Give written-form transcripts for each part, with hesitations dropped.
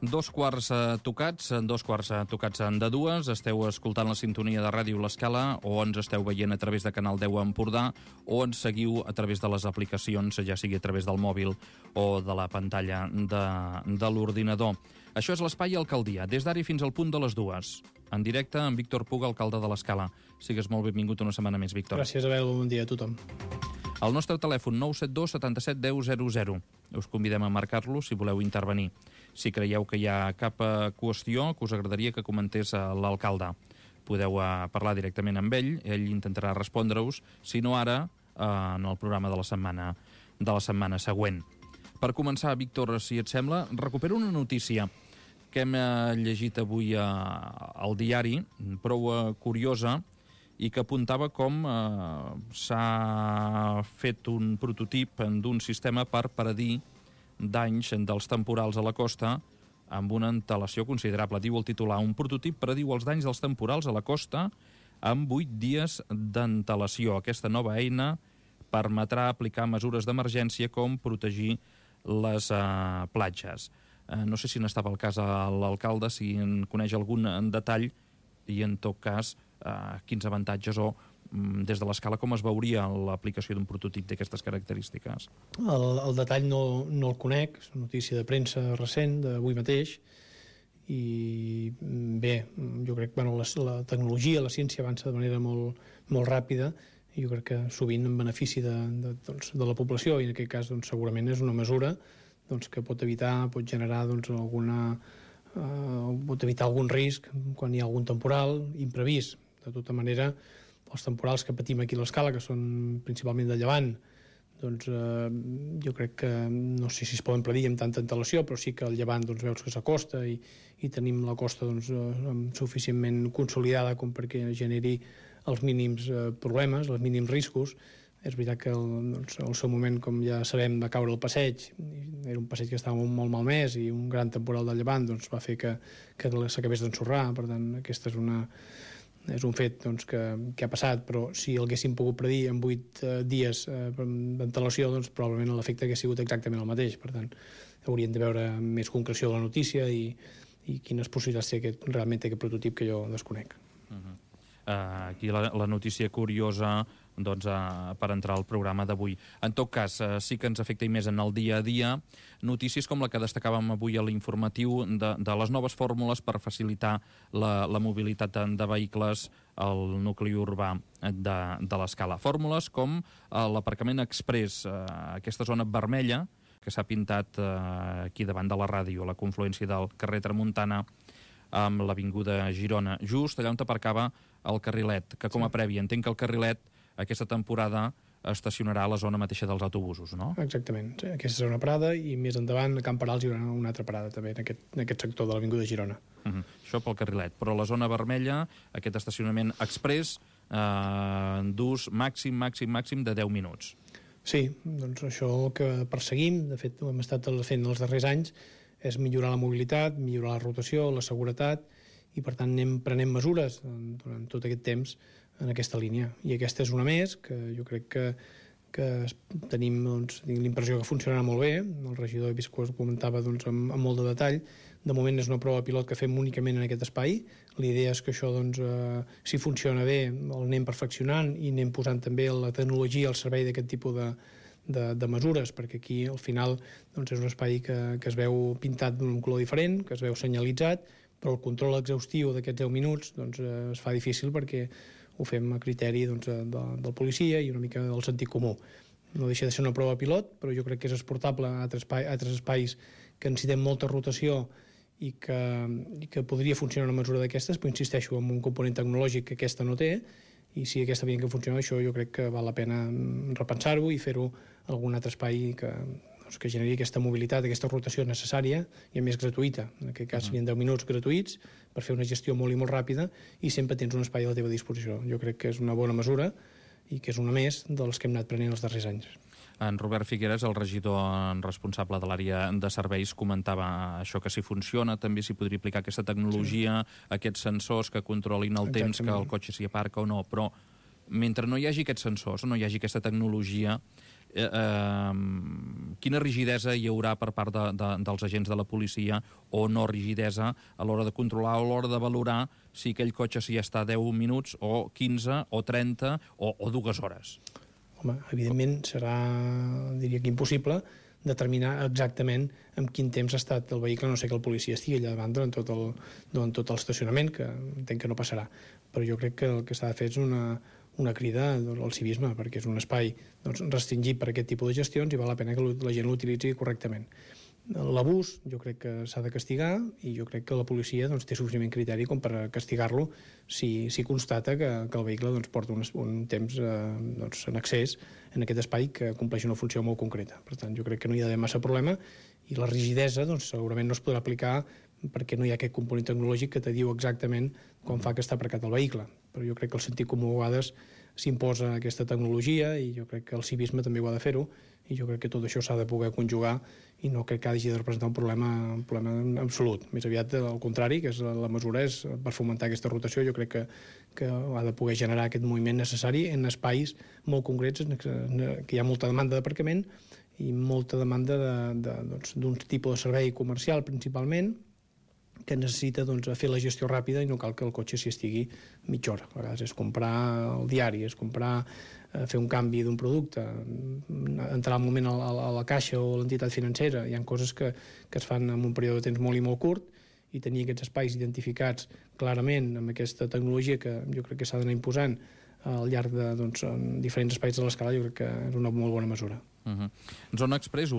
Dos quarts tocats de dues. Esteu escoltant la sintonia de Ràdio L'Escala, o ens esteu veient a través de Canal 10 Empordà, o ens seguiu a través de les aplicacions, ja sigui a través del mòbil o de la pantalla de l'ordinador. Això és l'Espai Alcaldia, des d'ara fins al punt de les dues. En directe amb Víctor Puga, alcalde de l'Escala. Sigues molt benvingut una setmana més, Víctor. Gràcies, Abel. Bon dia a tothom. El nostre telèfon 972 77 10 00. Us convidem a marcar-lo si voleu intervenir. Si creieu que hi ha cap qüestió que us agradaria que comentés l'alcalde, podeu parlar directament amb ell intentarà respondre-us, si no ara, en el programa de la setmana següent. Per començar, Víctor, si et sembla, recupero una notícia que hem llegit avui al diari, prou curiosa, i que apuntava com s'ha fet un prototip d'un sistema per predir danys dels temporals a la costa amb una antelació considerable. Diu el titular: un prototip prediu els danys dels temporals a la costa amb 8 dies d'antelació. Aquesta nova eina permetrà aplicar mesures d'emergència com protegir les platges. No sé si n'estava al cas a l'alcalde, si en coneix algun detall i, en tot cas, quins avantatges o des de l'Escala com es veuria l'aplicació d'un prototip d'aquestes característiques. El detall no el conec, és una notícia de premsa recent, d'avui mateix, i bé, jo crec que la tecnologia, la ciència avança de manera molt ràpida, i jo crec que sovint en benefici de la població, i en aquest cas segurament és una mesura que pot generar pot evitar algun risc quan hi ha algun temporal imprevist. De tota manera, els temporals que patim aquí a l'Escala, que són principalment de llevant, jo crec que no sé si es poden predir amb tanta antelació, però sí que el llevant veus que s'acosta i tenim la costa suficientment consolidada com perquè generi els mínims problemes, els mínims riscos. És veritat que al seu moment, com ja sabem, va caure el passeig, era un passeig que estava molt malmès, i un gran temporal de llevant va fer que s'acabés d'ensorrar. Per tant, aquest és un fet que ha passat, però si el haguéssim pogut predir en 8 dies d'antelació, probablement l'efecte hauria sigut exactament el mateix. Per tant, hauríem de veure més concreció de la notícia i quines possibilitats té realment aquest prototip que jo desconec. Aquí la notícia curiosa per entrar al programa d'avui. En tot cas, sí que ens afecta i més en el dia a dia notícies com la que destacàvem avui a l'informatiu de les noves fórmules per facilitar la mobilitat de vehicles al nucli urbà de l'Escala. Fórmules com l'aparcament express, aquesta zona vermella que s'ha pintat aquí davant de la ràdio, a la confluència del carrer Tramuntana amb l'Avinguda Girona, just allà on aparcava el carrilet, que com a prèvia entenc que el carrilet aquesta temporada estacionarà a la zona mateixa dels autobusos, no? Exactament, aquesta serà una parada, i més endavant a Camp Perals hi haurà una altra parada també en aquest sector de l'Avinguda Girona. Això pel carrilet, però la zona vermella, aquest estacionament express d'ús màxim de 10 minuts. Sí, això el que perseguim, de fet ho hem estat fent els darrers anys, és millorar la mobilitat, millorar la rotació, la seguretat, i per tant anem prenent mesures durant tot aquest temps en aquesta línia. I aquesta és una més, que jo crec que tenim l'impressió que funcionarà molt bé. El regidor he vist que ho comentava amb molt de detall. De moment és una prova pilot que fem únicament en aquest espai. L'idea és que això, si funciona bé, el anem perfeccionant i anem posant també la tecnologia al servei d'aquest tipus de mesures, perquè aquí al final és un espai que es veu pintat d'un color diferent, que es veu senyalitzat, però el control exhaustiu d'aquests 10 minuts es fa difícil perquè ho fem a criteri del policia i una mica del sentit comú. No deixa de ser una prova pilot, però jo crec que és exportable a altres espais que necessitem molta rotació i que podria funcionar una mesura d'aquestes, però insisteixo, amb un component tecnològic que aquesta no té, i si aquesta havia que funcionar, això jo crec que val la pena repensar-ho i fer-ho a algun altre espai que generi aquesta mobilitat, aquesta rotació necessària i a més gratuïta. En aquest cas serien 10 minuts gratuïts per fer una gestió molt i molt ràpida, i sempre tens un espai a la teva disposició. Jo crec que és una bona mesura i que és una més dels que hem anat prenent els darrers anys. En Robert Figueres, el regidor responsable de l'àrea de serveis, comentava això, que si funciona també s'hi podria aplicar aquesta tecnologia, aquests sensors que controlin el temps que el cotxe s'hi aparca o no, però mentre no hi hagi aquests sensors, no hi hagi aquesta tecnologia, quina rigidesa hi haurà per part dels agents de la policia, o no rigidesa, a l'hora de controlar o a l'hora de valorar si aquell cotxe s'hi està 10 minuts o 15 o 30 o 2 hores? Home, evidentment serà, diria que impossible, determinar exactament en quin temps ha estat el vehicle, no sé que el policia estigui allà davant durant tot l'estacionament, que entenc que no passarà. Però jo crec que el que s'ha de fer és una crida al civisme, perquè és un espai restringit per aquest tipus de gestions i val la pena que la gent l'utilitzi correctament. L'abús jo crec que s'ha de castigar i jo crec que la policia té suficient criteri com per castigar-lo si constata que el vehicle porta un temps en excés en aquest espai que compleix una funció molt concreta. Per tant, jo crec que no hi ha d'haver massa problema i la rigidesa segurament no es podrà aplicar perquè no hi ha aquest component tecnològic que te diu exactament quan fa que està aparcat el vehicle. Però jo crec que el sentit comú a vegades s'imposa aquesta tecnologia i jo crec que el civisme també ho ha de fer-ho i jo crec que tot això s'ha de poder conjugar i no crec que hagi de representar un problema absolut. Més aviat al contrari, que la mesura és per fomentar aquesta rotació, jo crec que ha de poder generar aquest moviment necessari en espais molt concrets que hi ha molta demanda d'aparcament i molta demanda d'un tipus de servei comercial principalment que necessita fer la gestió ràpida i no cal que el cotxe s'hi estigui mitja hora. A vegades és comprar el diari, és comprar, fer un canvi d'un producte, entrar al moment a la caixa o a l'entitat financera. Hi ha coses que es fan en un període de temps molt i molt curt i tenir aquests espais identificats clarament amb aquesta tecnologia que jo crec que s'ha d'anar imposant al llarg de diferents espais de l'escala, jo crec que és una molt bona mesura. Zona Express,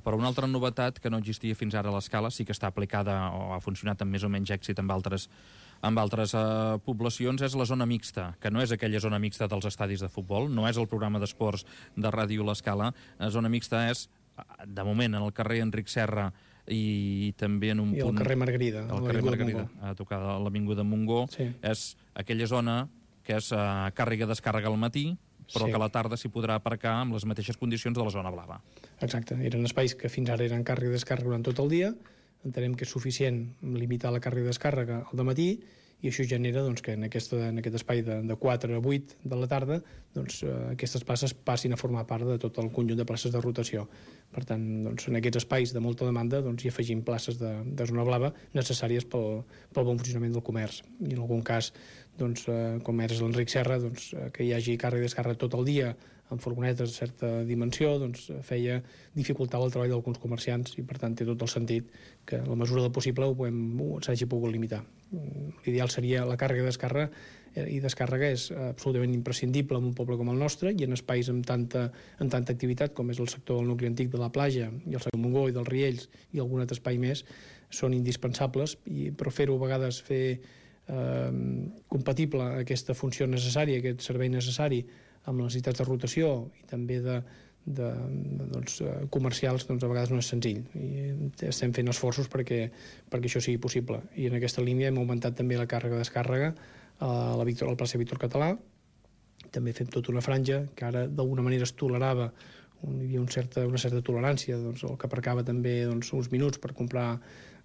però una altra novetat que no existia fins ara a l'escala, sí que està aplicada o ha funcionat amb més o menys èxit amb altres poblacions, és la zona mixta, que no és aquella zona mixta dels estadis de futbol, no és el programa d'esports de Ràdio L'Escala. La zona mixta és, de moment, en el carrer Enric Serra i també en un punt... I el carrer Margarida, al carrer Margarida, a tocar de l'Avinguda Montgó. És aquella zona que és càrrega-descàrrega al matí, però que a la tarda s'hi podrà aparcar amb les mateixes condicions de la zona blava. Exacte. Eren espais que fins ara eren càrrega i descàrrega durant tot el dia. Entenem que és suficient limitar la càrrega i descàrrega al dematí i això genera que en aquest espai de 4 a 8 de la tarda aquestes places passin a formar part de tot el conjunt de places de rotació. Per tant, en aquests espais de molta demanda hi afegim places de zona blava necessàries pel bon funcionament del comerç. I en algun cas, com és l'Enric Serra, que hi hagi càrrega i descàrrega tot el dia amb furgonetes de certa dimensió, feia dificultar el treball d'alguns comerciants i, per tant, té tot el sentit que a la mesura del possible s'hagi pogut limitar. L'ideal seria la càrrega i descàrrega és absolutament imprescindible en un poble com el nostre i en espais amb tanta activitat com és el sector del nucli antic de la platja i el sector del Montgó i dels Riells i algun altre espai més són indispensables, però fer-ho a vegades compatible aquesta funció necessària, aquest servei necessari amb les necessitats de rotació i també comercials, a vegades no és senzill. I estem fent esforços perquè això sigui possible. I en aquesta línia hem augmentat també la càrrega-descàrrega al plaça Víctor Català. També fem tota una franja que ara d'alguna manera es tolerava, hi havia una certa tolerància, el que aparcava també uns minuts per comprar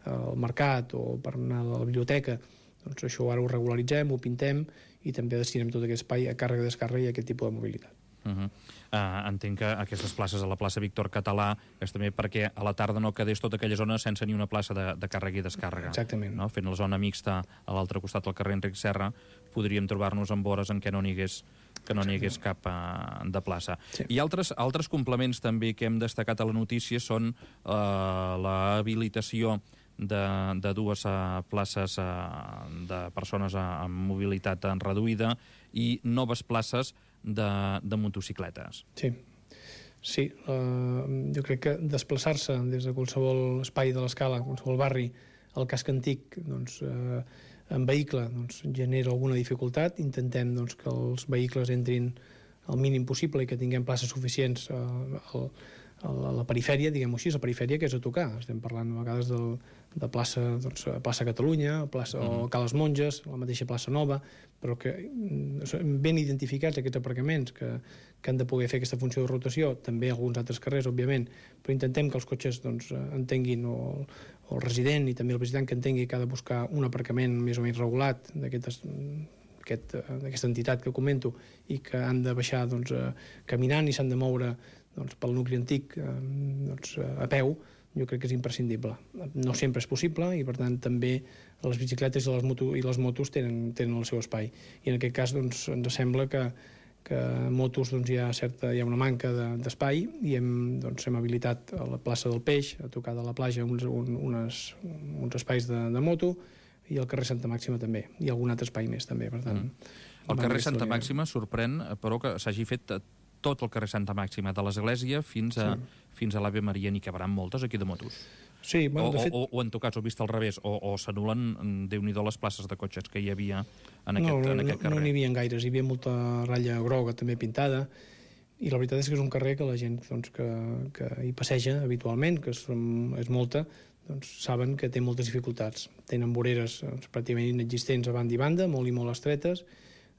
al mercat o per anar a la biblioteca. Això ara ho regularitzem, ho pintem i també destinem tot aquest espai a càrrega, descàrrega i aquest tipus de mobilitat. Entenc que aquestes places a la plaça Víctor Català és també perquè a la tarda no quedés tota aquella zona sense ni una plaça de càrrega i descàrrega. Exactament. No? Fent la zona mixta a l'altre costat del carrer Enric Serra podríem trobar-nos en vores en què no n'hi hagués cap de plaça. Sí. I altres complements també que hem destacat a la notícia són l'habilitació de 2 places de persones amb mobilitat reduïda i noves places de motocicletes. Sí, jo crec que desplaçar-se des de qualsevol espai de l'escala, qualsevol barri, al casc antic, en vehicle, genera alguna dificultat. Intentem que els vehicles entrin el mínim possible i que tinguem places suficients a la perifèria, diguem-ho així, la perifèria que és a tocar. Estem parlant a vegades de plaça Catalunya, o Cales Monges, la mateixa plaça Nova, però que ben identificats aquests aparcaments que han de poder fer aquesta funció de rotació, també alguns altres carrers, òbviament, però intentem que els cotxes entenguin, o el resident i també el visitant que entengui que ha de buscar un aparcament més o menys regulat d'aquesta entitat que comento i que han de baixar caminant i s'han de moure doncs, pel nucli antic doncs, a peu, jo crec que és imprescindible. No sempre és possible i, per tant, també les bicicletes i les motos tenen el seu espai. I en aquest cas doncs, ens sembla que a motos doncs, hi ha una manca d'espai i doncs, hem habilitat a la plaça del Peix, a tocar de la platja, uns espais de moto, i al carrer Santa Màxima també, i algun altre espai més també, per tant... El carrer Santa Màxima sorprèn, però que s'hagi fet tot el carrer Santa Màxima, de l'Església fins a l'Ave Maria, n'hi cabaran moltes aquí de motos. Sí, bueno, de fet... O en tot cas, ho vist al revés, o s'anulen, Déu-n'hi-do, les places de cotxes que hi havia en aquest carrer. No n'hi havia gaires, hi havia molta ratlla groga també pintada, i la veritat és que és un carrer que la gent doncs, que hi passeja habitualment, que és molta, doncs saben que té moltes dificultats. Tenen voreres pràcticament inexistents a banda i banda, molt i molt estretes,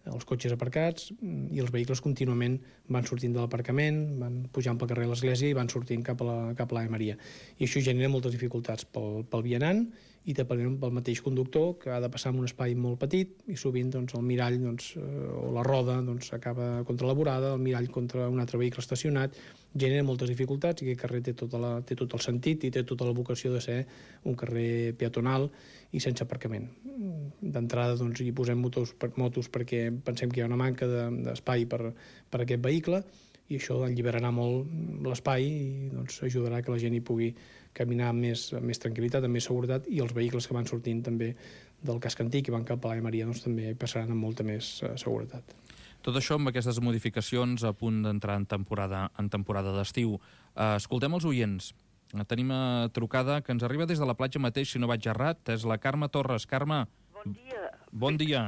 els cotxes aparcats, i els vehicles contínuament van sortint de l'aparcament, van pujant pel carrer de l'Església i van sortint cap a l'Ave Maria. I això genera moltes dificultats pel vianant i també pel mateix conductor, que ha de passar en un espai molt petit i sovint doncs, el mirall o la roda acaba contra la vorada, el mirall contra un altre vehicle estacionat, genera moltes dificultats i aquest carrer té tot el sentit i té tota la vocació de ser un carrer peatonal i sense aparcament. D'entrada doncs, hi posem motos perquè pensem que hi ha una manca d'espai per a aquest vehicle i això alliberarà molt l'espai i doncs, ajudarà que la gent hi pugui caminar amb més tranquil·litat, amb més seguretat, i els vehicles que van sortint també del casc antic i van cap a l'Ave Maria doncs, també passaran amb molta més seguretat. Tot això amb aquestes modificacions a punt d'entrar en temporada d'estiu. Escoltem els oients. Tenim trucada que ens arriba des de la platja mateix, si no vaig errat. És la Carme Torres. Carme. Bon dia. Bon dia.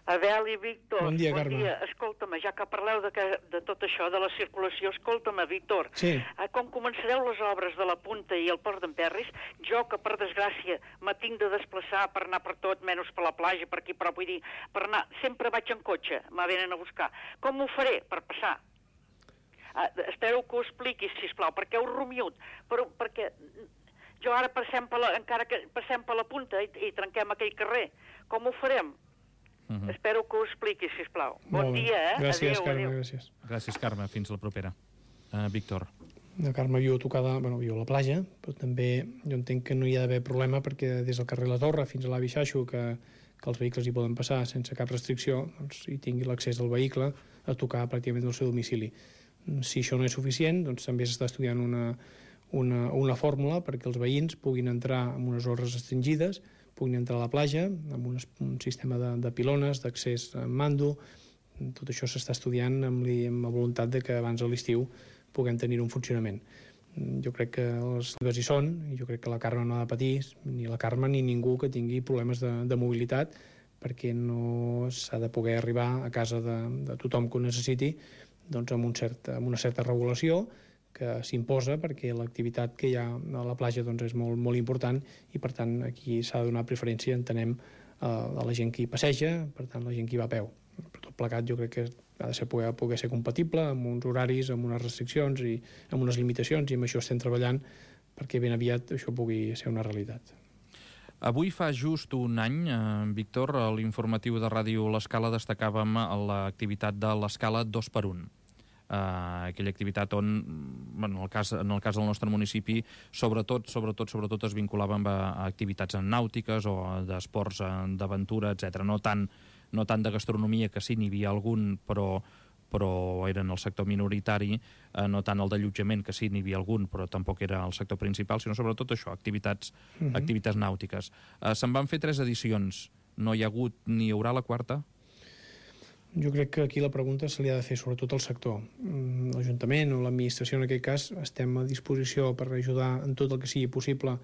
Abel i Víctor. Bon dia, Carme. Escolta'm, ja que parleu de tot això, de la circulació, escolta'm, Víctor. Sí. Com començareu les obres de la Punta i el Port d'Emperris, jo que per desgràcia me tinc de desplaçar per anar per tot, menys per la platja, per aquí, però vull dir, per anar, sempre vaig en cotxe, me venen a buscar. Com ho faré per passar? Espero que ho expliquis, sisplau, perquè heu rumiut, però perquè jo ara encara que passem per la Punta i trenquem aquell carrer, com ho farem? Espero que ho expliquis, sisplau. Bon dia, Gràcies, adéu, Carme, adéu. gràcies. Gràcies, Carme. Fins la propera. Víctor. La Carme viu a la platja, però també jo entenc que no hi ha d'haver problema perquè des del carrer La Torre fins a l'Avi Xaixo, que els vehicles hi poden passar sense cap restricció, doncs hi tingui l'accés del vehicle a tocar pràcticament del seu domicili. Si això no és suficient, doncs també s'està estudiant una fórmula perquè els veïns puguin entrar en unes hores restringides, puguin entrar a la platja amb un sistema de pilones, d'accés amb mando. Tot això s'està estudiant amb la voluntat de que abans de l'estiu puguem tenir un funcionament. Jo crec que les dues hi són i jo crec que la Carme no ha de patir, ni la Carme ni ningú que tingui problemes de mobilitat, perquè no s'ha de poder arribar a casa de tothom que ho necessiti doncs amb una certa regulació que s'imposa perquè l'activitat que hi ha a la platja doncs, és molt, molt important i per tant aquí s'ha de donar preferència, entenem, a la gent que hi passeja, per tant la gent que hi va a peu. Per tot plegat jo crec que ha de poder ser compatible amb uns horaris, amb unes restriccions i amb unes limitacions, i amb això estem treballant perquè ben aviat això pugui ser una realitat. Avui fa just un any, Víctor, a l'informatiu de Ràdio L'Escala destacàvem l'activitat de l'Escala 2x1. Aquella activitat on, en el cas del nostre municipi, sobretot es vinculava amb activitats nàutiques o d'esports d'aventura, etc. No tant de gastronomia, que sí, n'hi havia algun, però era en el sector minoritari, no tant el d'allotjament, que sí, n'hi havia algun, però tampoc era el sector principal, sinó sobretot això, activitats nàutiques. Se'n van fer 3 edicions. No hi ha hagut ni hi haurà la quarta? Jo crec que aquí la pregunta se li ha de fer sobretot al sector. L'Ajuntament o l'administració, en aquest cas, estem a disposició per ajudar en tot el que sigui possible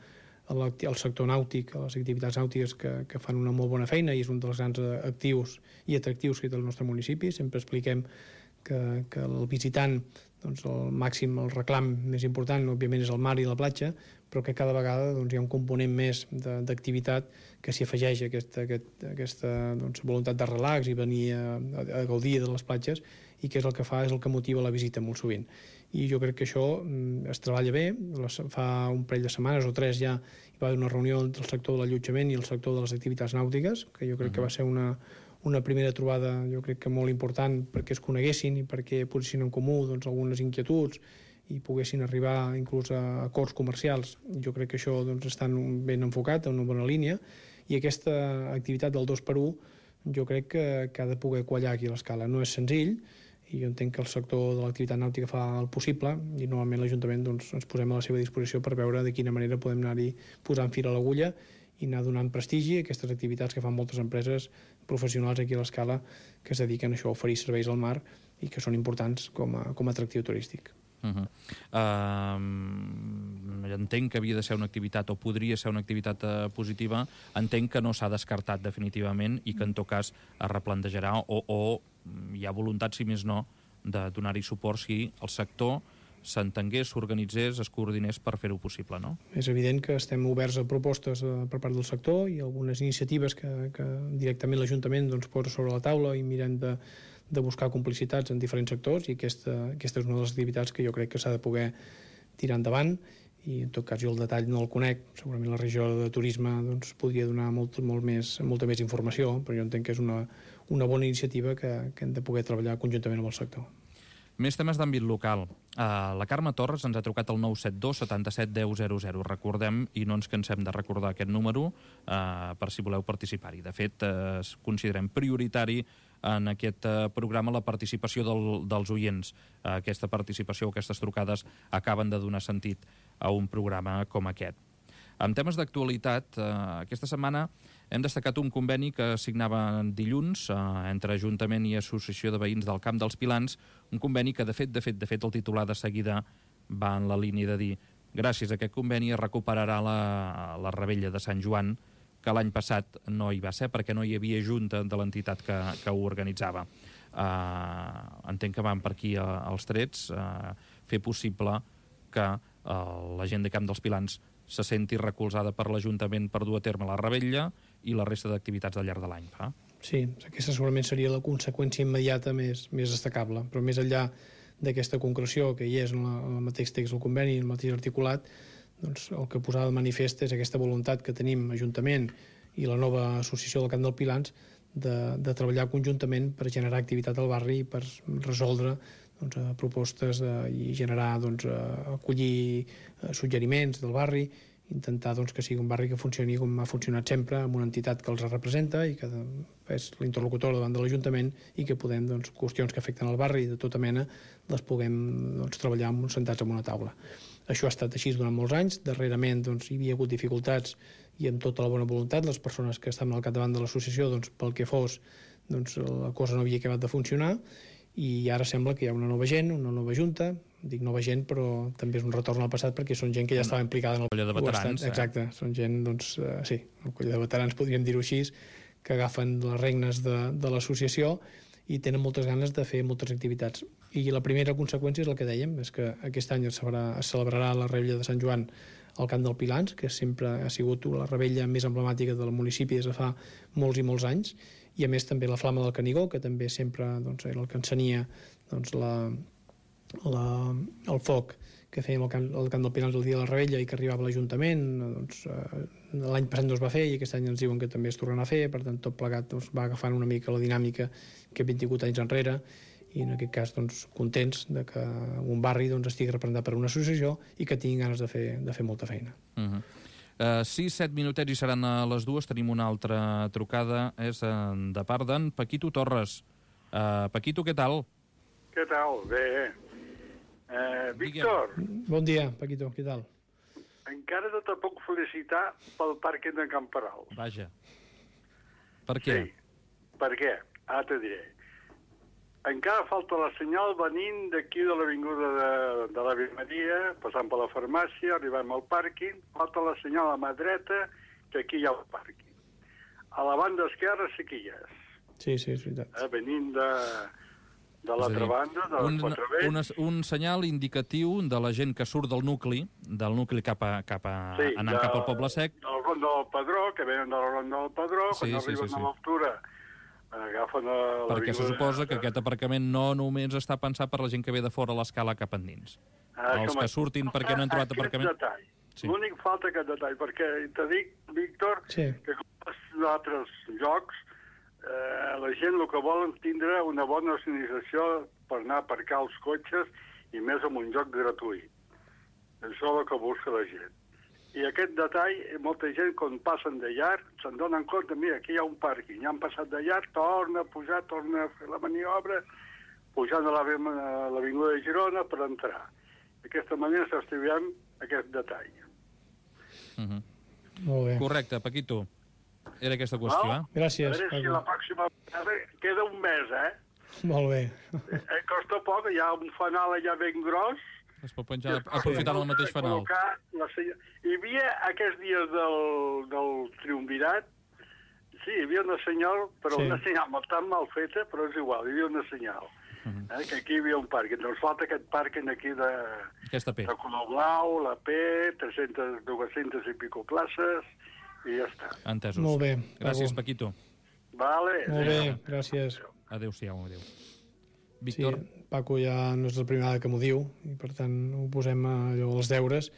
al sector nàutic, a les activitats nàutiques que fan una molt bona feina i és un dels grans actius i atractius que té el nostre municipi. Sempre expliquem que el visitant, doncs el reclam més important, òbviament, és el mar i la platja, però que cada vegada hi ha un component més d'activitat que s'hi afegeix aquesta voluntat de relax i venir a gaudir de les platges, i que és el que fa, és el que motiva la visita molt sovint. I jo crec que això es treballa bé. Fa un parell de setmanes o 3 ja hi va haver una reunió entre el sector de l'allotjament i el sector de les activitats nàutiques, que jo crec que va ser una primera trobada, jo crec que molt important, perquè es coneguessin i perquè posessin en comú doncs, algunes inquietuds i poguessin arribar inclús a acords comercials. Jo crec que això doncs, està ben enfocat, en una bona línia, i aquesta activitat del 2x1 jo crec que ha de poder quallar aquí a l'Escala. No és senzill, i jo entenc que el sector de l'activitat nàutica fa el possible, i normalment l'Ajuntament doncs, ens posem a la seva disposició per veure de quina manera podem anar-hi posant fil a l'agulla i anar donant prestigi a aquestes activitats que fan moltes empreses professionals aquí a l'Escala que es dediquen a això, a oferir serveis al mar i que són importants com a atractiu turístic. Entenc que havia de ser una activitat o podria ser una activitat positiva, entenc que no s'ha descartat definitivament i que en tot cas es replantejarà o hi ha voluntat, si més no, de donar-hi suport si el sector s'entengués, s'organitzés, es coordinés per fer-ho possible, no? És evident que estem oberts a propostes per part del sector i algunes iniciatives que directament l'Ajuntament doncs, posa sobre la taula i mirem de buscar complicitats en diferents sectors, i aquesta és una de les activitats que jo crec que s'ha de poder tirar endavant, i en tot cas jo el detall no el conec, segurament la regió de turisme doncs, podria donar molta més informació, però jo entenc que és una bona iniciativa que hem de poder treballar conjuntament amb el sector. Més temes d'àmbit local. La Carme Torres ens ha trucat al 972 77 10 00. Recordem, i no ens cansem de recordar aquest número, per si voleu participar-hi. De fet, considerem prioritari en aquest programa la participació dels oients. Aquesta participació, aquestes trucades, acaben de donar sentit a un programa com aquest. En temes d'actualitat, aquesta setmana hem destacat un conveni que signava dilluns entre Ajuntament i Associació de Veïns del Camp dels Pilans, un conveni que, de fet, el titular de seguida va en la línia de dir gràcies a aquest conveni es recuperarà la Revetlla de Sant Joan, que l'any passat no hi va ser perquè no hi havia junta de l'entitat que ho organitzava. Entenc que van per aquí els trets, fer possible que la gent de Camp dels Pilans se senti recolzada per l'Ajuntament per dur a terme la Revetlla i la resta d'activitats al llarg de l'any. Sí, aquesta segurament seria la conseqüència immediata més destacable, però més enllà d'aquesta concreció que hi és en el mateix text del conveni, en el mateix articulat, doncs el que posava de manifest és aquesta voluntat que tenim Ajuntament i la nova associació del Camp dels Pilans de treballar conjuntament per generar activitat al barri i per resoldre propostes i generar, acollir suggeriments del barri, intentar que sigui un barri que funcioni com ha funcionat sempre, amb una entitat que els representa i que és l'interlocutor davant de l'Ajuntament i que podem, qüestions que afecten el barri de tota mena, les puguem treballar sentats en una taula. Això ha estat així durant molts anys. Darrerament hi havia hagut dificultats i amb tota la bona voluntat les persones que estaven al capdavant de l'associació, pel que fos, la cosa no havia acabat de funcionar, i ara sembla que hi ha una nova gent, una nova junta. Dic nova gent, però també és un retorn al passat perquè són gent que ja estava implicada en el coll de veterans. Exacte, són gent, sí, el coll de veterans, podríem dir-ho així, que agafen les regnes de l'associació i tenen moltes ganes de fer moltes activitats. I la primera conseqüència és el que dèiem, és que aquest any es celebrarà la Revetlla de Sant Joan al Camp dels Pilans, que sempre ha sigut la revetlla més emblemàtica del municipi des de fa molts i molts anys, i a més també la Flama del Canigó, que també sempre era el que encenia el foc que fèiem al Camp dels Pilans el dia de la Revetlla i que arribava a l'Ajuntament. L'any passat no es va fer i aquest any ens diuen que també es tornarà a fer, per tant tot plegat va agafant una mica la dinàmica que 28 anys enrere, i en aquest cas contents de que un barri estigui representat per una associació i que tinguin ganes de fer molta feina. 6-7 minutets i seran a les 2. Tenim una altra trucada, és de part d'en Paquito Torres. Paquito, què tal? Què tal? Bé. Víctor. Bon dia, Paquito, què tal? Encara no te puc felicitar pel pàrquing de Camperal. Vaja. Per què? Sí. Per què? Ara te diré. Encara falta la senyal venint d'aquí de l'avinguda de la Virmeria, passant per la farmàcia, arribant al pàrquing, falta la senyal a mà dreta, que aquí hi ha el pàrquing. A la banda esquerra sí que hi és. Sí, és veritat. Venint de l'altra banda, de les 4 vents. Un senyal indicatiu de la gent que surt del nucli anant cap al Poble Sec. Del Ronda del Pedró, que venen de la Ronda del Pedró, quan arriben a l'altura agafen Perquè se suposa que aquest aparcament no només està pensat per la gent que ve de fora a l'escala cap endins. Els que surtin perquè no han trobat aparcament... Sí. L'únic falta aquest detall, perquè te dic, Víctor, que com en altres llocs, la gent el que volen tindre una bona organització per anar a aparcar els cotxes i més amb un lloc gratuït. Això és el que busca la gent. I aquest detall, molta gent, quan passen de llarg, se'n donen compte, mira, aquí hi ha un pàrquing, ja han passat de llarg, torna a pujar, torna a fer la maniobra, pujant a l'Avinguda de Girona per entrar. D'aquesta manera s'estiviem aquest detall. Molt bé. Correcte, Paquito. Era aquesta qüestió, Gràcies, Paco. A veure si la pròxima vegada queda un mes, Molt bé. Costa poc, hi ha un fanal allà ben gros. Es pot penjar aprofitant el mateix fanal. Hi havia aquests dies del triumvirat, sí, hi havia una senyal, però una senyal tan mal feta, però és igual, hi havia una senyal. Que aquí hi havia un pàrquing. Doncs falta aquest pàrquing aquí de color blau, la P, 200 i pico places, i ja està. Entesos. Molt bé. Gràcies, Paquito. Vale. Molt bé, gràcies. Adéu-siau, adéu. Víctor? Sí, Paco ja no és la primera vegada que m'ho diu, i per tant ho posem allò als deures.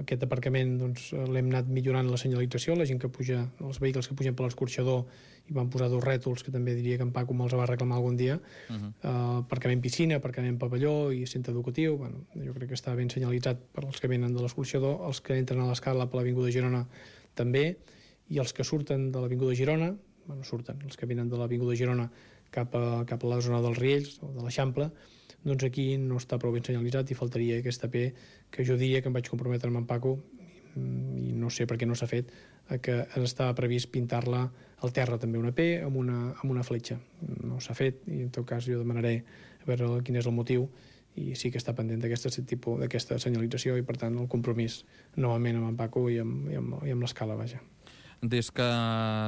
Aquest aparcament l'hem anat millorant la senyalització, la gent que puja, els vehicles que pugen per l'escorxador, i van posar 2 rètols que també diria que en Paco me'ls va reclamar algun dia. Aparcament piscina, aparcament pavelló i centre educatiu. Jo crec que està ben senyalitzat per als que venen de l'escorxador, els que entren a l'escala per l'Avinguda de Girona també, i els que surten de l'Avinguda de Girona, els que venen de l'Avinguda de Girona cap a la zona dels Riells o de l'Eixample, doncs aquí no està prou ben senyalitzat i faltaria aquesta P, que jo diria que em vaig comprometre amb en Paco, i no sé per què no s'ha fet, que estava previst pintar-la al terra també una P amb una fletxa. No s'ha fet, i en tot cas jo demanaré a veure quin és el motiu, i sí que està pendent d'aquesta senyalització, i per tant el compromís novament amb en Paco i amb l'escala, vaja. Des que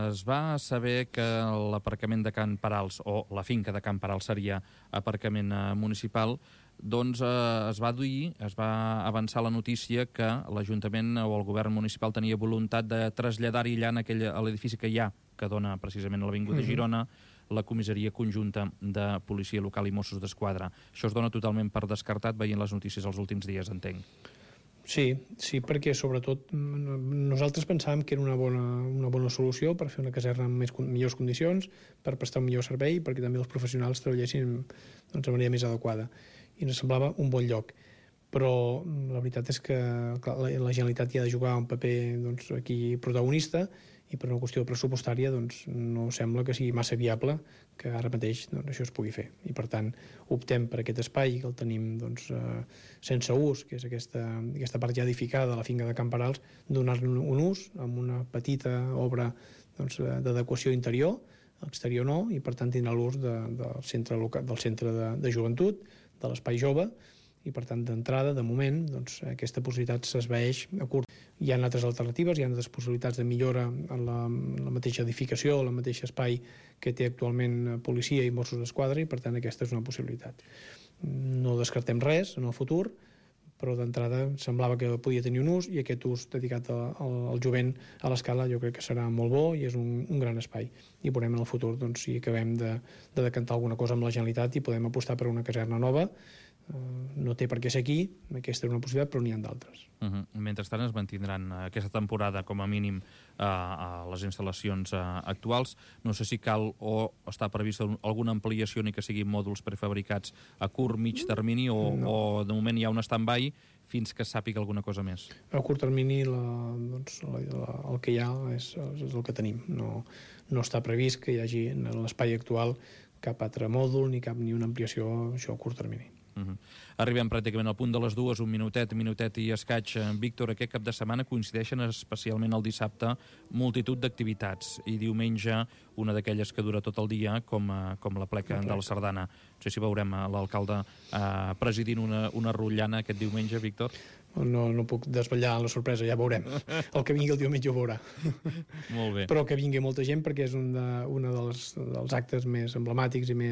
es va saber que l'aparcament de Can Parals, o la finca de Can Parals seria aparcament municipal, doncs es va avançar la notícia que l'Ajuntament o el govern municipal tenia voluntat de traslladar-hi allà a l'edifici que hi ha, que dona precisament a l'Avinguda de Girona, la comissaria conjunta de Policia Local i Mossos d'Esquadra. Això es dona totalment per descartat veient les notícies els últims dies, entenc. Sí, perquè sobretot nosaltres pensàvem que era una bona solució per fer una caserna en millors condicions, per prestar un millor servei, perquè també els professionals treballessin de manera més adequada. I ens semblava un bon lloc. Però la veritat és que la Generalitat hi ha de jugar un paper aquí protagonista, i per una qüestió pressupostària no sembla que sigui massa viable que ara mateix això es pugui fer. I per tant optem per aquest espai que el tenim sense ús, que és aquesta part ja edificada de la finca de Can Parals, donar-li un ús amb una petita obra d'adequació interior, exterior no, i per tant tindrà l'ús del centre de joventut, de l'espai jove, i per tant d'entrada, de moment, aquesta possibilitat s'esvaeix a curt. Hi ha altres alternatives, hi ha altres possibilitats de millora en la mateixa edificació, en el mateix espai que té actualment policia i Mossos d'Esquadra, i per tant aquesta és una possibilitat. No descartem res en el futur, però d'entrada semblava que podia tenir un ús, i aquest ús dedicat al jovent a l'escala jo crec que serà molt bo i és un gran espai. I veurem en el futur si acabem de decantar alguna cosa amb la Generalitat i podem apostar per una caserna nova. No té per què ser aquí, aquesta és una possibilitat, però n'hi ha d'altres. Mentrestant es mantindran aquesta temporada com a mínim a les instal·lacions actuals. No sé si cal o està prevista alguna ampliació ni que siguin mòduls prefabricats a curt, mig termini o de moment hi ha un stand-by fins que sàpiga alguna cosa més. A curt termini el que hi ha és el que tenim. No està previst que hi hagi en l'espai actual cap altre mòdul ni una ampliació a curt termini. Arribem pràcticament al punt de les 2, un minutet i escaig. Víctor, aquest cap de setmana coincideixen especialment el dissabte multitud d'activitats i diumenge una d'aquelles que dura tot el dia com la pleca de la Sardana. No sé si veurem l'alcalde presidint una rotllana aquest diumenge, Víctor. No puc desvetllar la sorpresa, ja veurem. El que vingui el diumenge ho veurà. Molt bé. Però que vingui molta gent perquè és un dels actes més emblemàtics i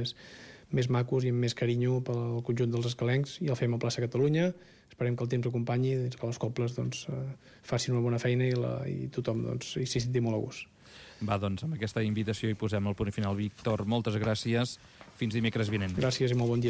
més macos i amb més carinyo pel conjunt dels escalencs, i el fem a Plaça Catalunya. Esperem que el temps acompanyi, que les cobles facin una bona feina i tothom s'hi senti molt a gust. Va, doncs, amb aquesta invitació hi posem el punt final. Víctor, moltes gràcies. Fins dimecres vinent. Gràcies i molt bon dia.